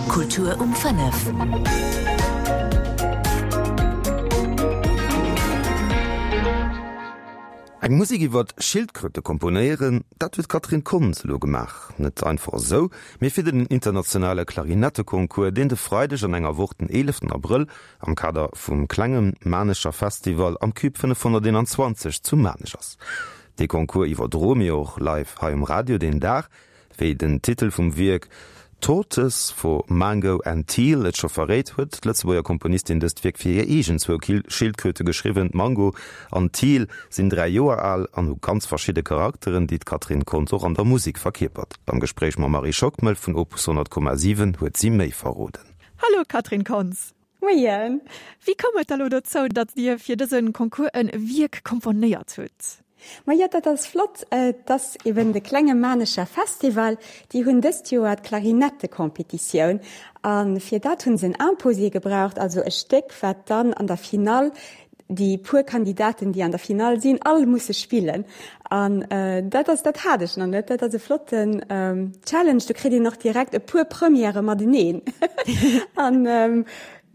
Kultur um 5. Eng Musek iwwert Schildkröte komponéieren, dat huet d'Catherine Kontz elo gemaach. Net einfach esou, mee fir den internationale Klarinetteconcours, deen de Freideg an enger Woch, den 11 Abrëll, am Kader vum Klenge Maarnecher Festival am Cube 521 zu Maarnech ass. Dee Concours iwwerdroe mir och live hei um Radio deen Dag. Wéi den Titel vum Wierk Tortoise for Mango and Teal et scho verréit, huet d'Lëtzebuerger Komponistin dëst Wierk fir hir eegen zwou Schildkröte geschriwwen. D'Mango an d'Teal sinn 3 Joer al an hu ganz verschidde Charakteren, déi d'Catherine Kontz och an der Musek verkierpert. Am Gespréich mam Marie Schockmel vun Opus 100,7 huet si méi verroden. Hallo Catherine Kontz. Moien. Wéi koum et da lo dozou, datt Dir fir dëse Concours e Wierk komponéiert hutt? Majo, dat ass flott. Et ass eben de Klenge Maarnecher Festival. Déi hunn dëst Joer d'Klarinettecompetitioun a fir dat hunn se en Imposé gebraucht, also e Stéck, wat dann an der Finall déi puer Kandidaten, déi an der Finall sinn, all musse spillen. An dat ass, dat hat ech nach net. Dat ass e flotten Challenge. Do kritt een och direkt e puer Premièrë mateneen. An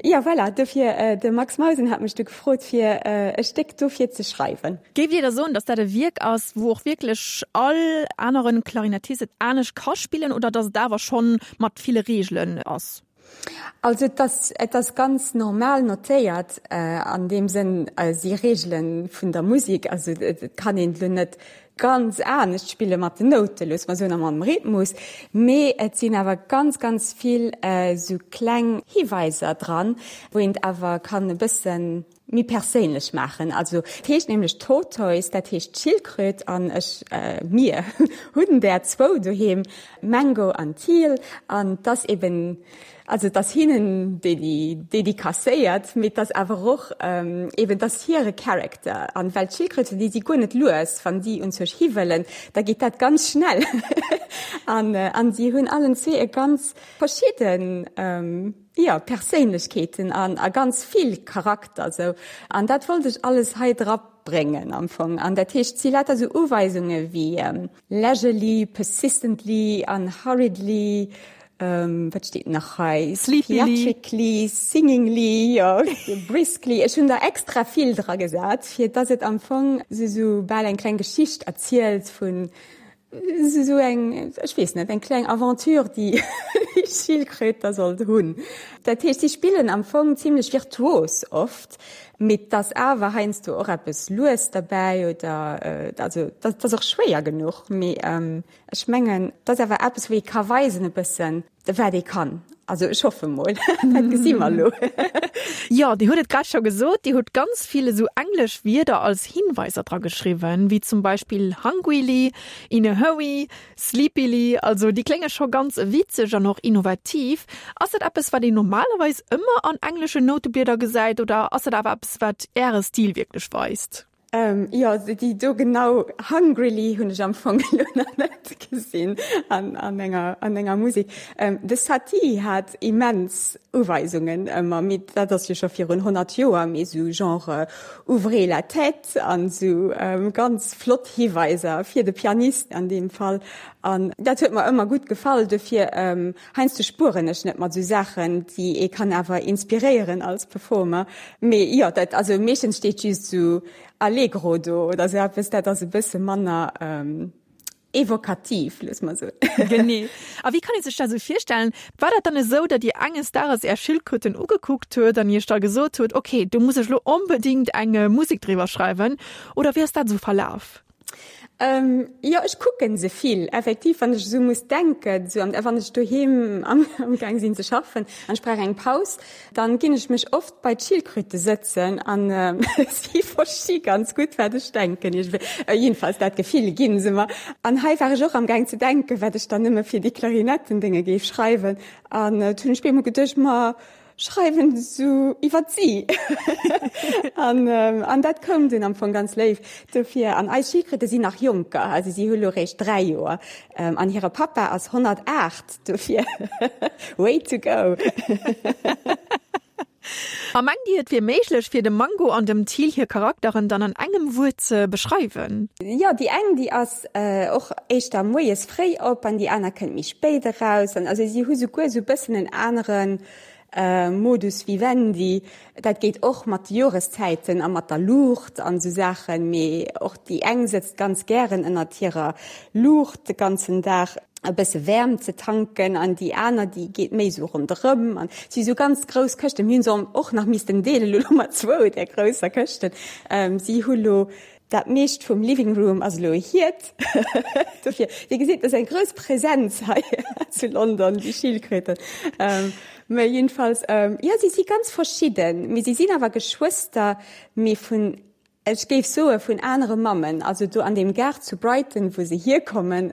jo, voilà, dofir, de Max Mausen hat mech du gefrot, fir e Stéck dofir ze schreiwen. Géift Dir da soen, datt dat e Wierk ass, wou och wierklech all anere Klarinettist et anescht ka spillen oder datt et awer schonn mat ville Reegelen ass? Also et ass, et ass ganz normal notéiert, an deem Sënn si Reegele vun der Musek, also et kann een elo net ganz anescht spille mat den Noute, loosse mer soen, a mam Rhythmus, mee et sinn awer ganz, ganz vill esou kleng Hiweiser dran, wou een et awer kann e bëssen méi perséinlech maachen. Also et heescht nämlech Tortoise, dat heescht Schildkröt an ech, mir hunn där zwou doheem, Mango an Teal an 't ass eben, also 't ass hinnen déi dedicacéiert, mee 't ass awer och eben, 't ass hire Character an well d'Schildkröten, déi si guer net lues, wann déi un sech hiwëllen, da geet dat ganz schnell an an si hunn allen zwee e ganz verschidden, Jo, Perséinlechkeeten an a ganz vill Charakter sou. An dat wollt ech alles hei dra bréngen am Fong. An dat heescht, si lauter sou Uweisunge wéi leisurely, persistently an hurriedly, wat steet nach hei, Sleepily. theatrically, singingly, jo, briskly. Ech hunn der extra vill dra gesat, fir dass et am Fong sou sou bal eng kleng Geschicht erzielt vun Esou eng, ech weess net, eng kleng Aventure, déi déi Schildkröt da sollt hunn. Dat heescht, si spillen am Fong zimlech virtuos oft, mee 't ass awer heiansdo och eppes lues derbäi oder, also dat ass och schwéier genuch. Mee ech mengen, 't ass awer eppes, wou ee ka weisen e bëssen, Wat ee kann. Also ech hoffe mol. Dat gesi mer elo. Jo, Dir hutt et grad scho gesot, Dir hutt ganz vill esou englesch Wierder als Hinweiser dra geschriwwen, wéi zum Beispill hungrily, in a hurry, sleepily. Also déi klénge scho ganz witzeg an och innovativ. Ass dat eppes, wat een normalerweis ëmmer an engleschen Nouteblieder gesäit oder ass dat awer eppes, wat Äre Stil wierklech weist? Jo, déi do genau hungrily hunn ech am Fong elo nach net gesinn an an enger an enger Musek. De Satie hat immens Uweisungen ëmmer, mee dat ass jo scho virun 100 Joer, mee sou genre ouvrez la tête an sou ganz flott Hiweiser fir de Pianist an deem Fall. An dat huet mer ëmmer gutt gefall, dofir Heiansdo spueren ech net mat sou Saachen, déi ee kann awer inspiréieren als Performer. Mee jo, dat, also meeschtens steet just sou Allegro do oder sou eppes, dat ass e bësse manner evokativ, loosse mer soen. Genee. A wéi kann ee sech dat sou virstellen? War dat dann esou, datt Dir enges Dages Är Schildkröten ugekuckt huet an Iech da gesot hutt, okay, do muss ech elo onbedéngt eng Musek driwwer schreiwen? Oder wéi ass dat esou verlaf? Ähm, jo, ech kucken se vill, effektiv, wann ech esou muss denken, esou an wann ech doheem am, am Gaang sinn ze schaffen an ech brauch eng Paus, dann ginn ech mech oft bei d'Schildkröte sëtzen an si versti ganz gutt, wat ech denken iergendwéi. Jedenfalls dat Gefill ginn se mer. An hei war ech och am Gaang ze denken, wat ech dann nëmme fir déi Klarinettendénge géif schreiwen an et hunn ech bemol geduecht, ma schreiwen sou iwwert si an an dat koum dunn am Fong ganz léif dofir. An eis Schildkröte sinn nach jonker, also si hu lo réischt 3 Joer an hire Pappa ass 108, dofir way to go. A mengt Dir, et wier méiglech, fir dem Mango an dem Thiel hir Charakteren dann an engem Wuert ze beschreiwen? Jo, déi eng, déi ass och éischter moies fréi op an déi aner kënnt méi spéit eraus. An also si hu souguer esou e bëssen en anere Modus vivendi. Dat geet och mat de Joreszäiten a mat der Luucht an esou Saachen. Mee och déi eng sëtzt ganz gären ënnert hirer Luucht de ganzen Dag e bësse Wäermt ze tanken an déi aner, déi geet méi esou ronderëm. An et si sou ganz grouss Këschten. Mir hunn se och nach missten deelen, elo hu mer zwou där grousser Këschten. Si hu lo Dat meescht vum Living Room ass elo hiert. Dofir, Dir gesitt, et ass eng grouss Präsenz hei zu London, déi Schildkröten. Mä jedenfalls, jo, si si ganz verschidden, mee si sinn awer Geschwëster, mee vun, ech géif soe vun anere Mammen. Also do an deem Gaart zu Brighton, wou se hierkommen,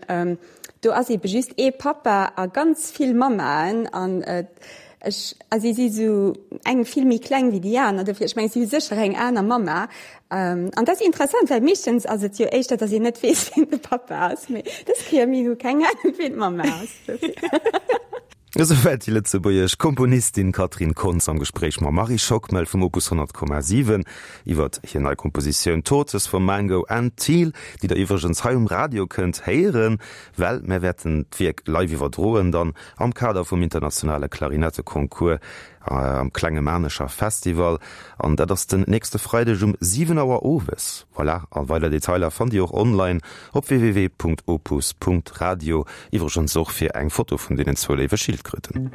do ass eebe just ee Pappa a ganz vill Mammaen. An ech, a si si sou eng vill méi kleng wéi déi aner, dofir, ech mengen, si hu sécher eng aner Mamma. An dat ass interessant, well meeschtens ass et jo éischter, datt een net weess, wien de Pappa ass, mee dës Kéier, mir hu keng Anung, wien d'Mamma ass, dofir. Esouwäit déi lëtzebuergesch Komponistin Catherine Kontz am Gespréich mam Marie Schockmel vum Opus 100,7 iwwert hir nei Kompositioun Tortoise for Mango and Teal, déi der iwwregens hei um Radio kënnt héieren, well mär wäerten d'Wierk live iwwerdroen dann am Kader vum internationale Klarinetteconcours am Klenge Maarnecher Festival an dat ass den nächste Freideg um 7 Auer owes. Voilà, a weider Detailer fannt Dir och online op www.opus.radio, iwwregens och fir eng Foto vun deenen zwou léiwe Schildkröten.